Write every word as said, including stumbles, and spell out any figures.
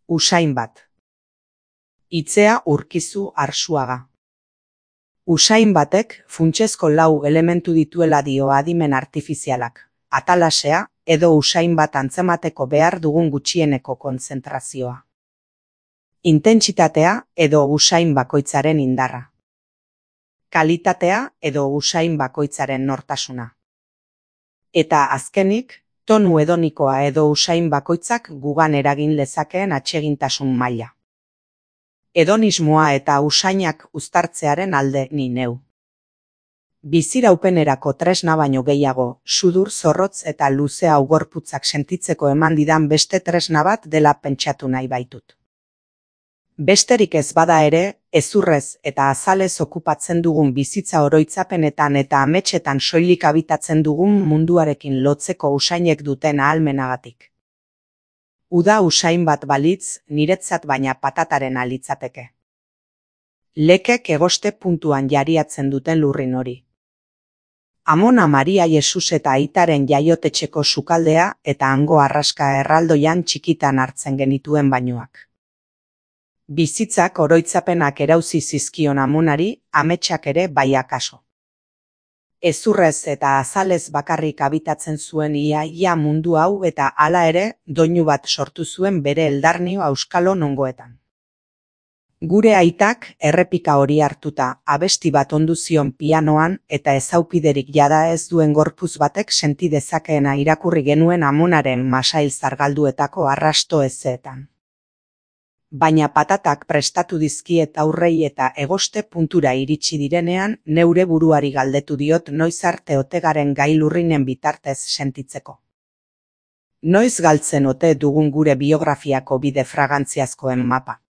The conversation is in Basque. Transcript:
Usain bat. Itzea Urkizu Arsuaga. Usain batek funtsezko lau elementu dituela dio adimen artifizialak, atalasea edo usain bat antzemateko behar dugun gutxieneko kontzentrazioa. Intentsitatea edo usain bakoitzaren indarra. Kalitatea edo usain bakoitzaren nortasuna. Eta azkenik, tonu hedonikoa edo usain bakoitzak gugan eragin lezakeen atsegintasun maila. Hedonismoa eta usainak uztartzearen alde ni neu. Biziraupenerako tresna baino gehiago, sudur zorrotz eta luze hau gorputzak sentitzeko eman didan beste tresna bat dela pentsatu nahi baitut. Besterik ez bada ere, hezurrez eta azalez okupatzen dugun bizitza oroitzapenetan eta ametsetan soilik abitatzen dugun munduarekin lotzeko usainek duten ahalmenagatik. Uda usain bat balitz, niretzat baina patataren alitzateke. Lekek egoste puntuan jariatzen duten lurrin hori. Amona Maria Jesus eta aitaren jaiotetxeko sukaldea eta hango arraska erraldoian txikitan hartzen genituen bainuak. Bizitzak oroitzapenak erauzi zizkion amonari, ametsak ere bai akaso. Hezurrez eta azalez bakarrik abitatzen zuen ia ia mundu hau eta hala ere doinu bat sortu zuen bere eldarnio auskalo nongoetan. Gure aitak errepika hori hartuta abesti bat ondu zion pianoan eta ezaupiderik jada ez duen gorpuz batek senti dezakeena irakurri genuen amonaren masail zargalduetako arrasto ezeetan. Baina patatak prestatu dizkiet aurrei eta egoste puntura iritsi direnean neure buruari galdetu diot noiz arte ote garen gai lurrinen bitartez sentitzeko. Noiz galtzen ote dugun gure biografiako bide fragantziazkoen mapa.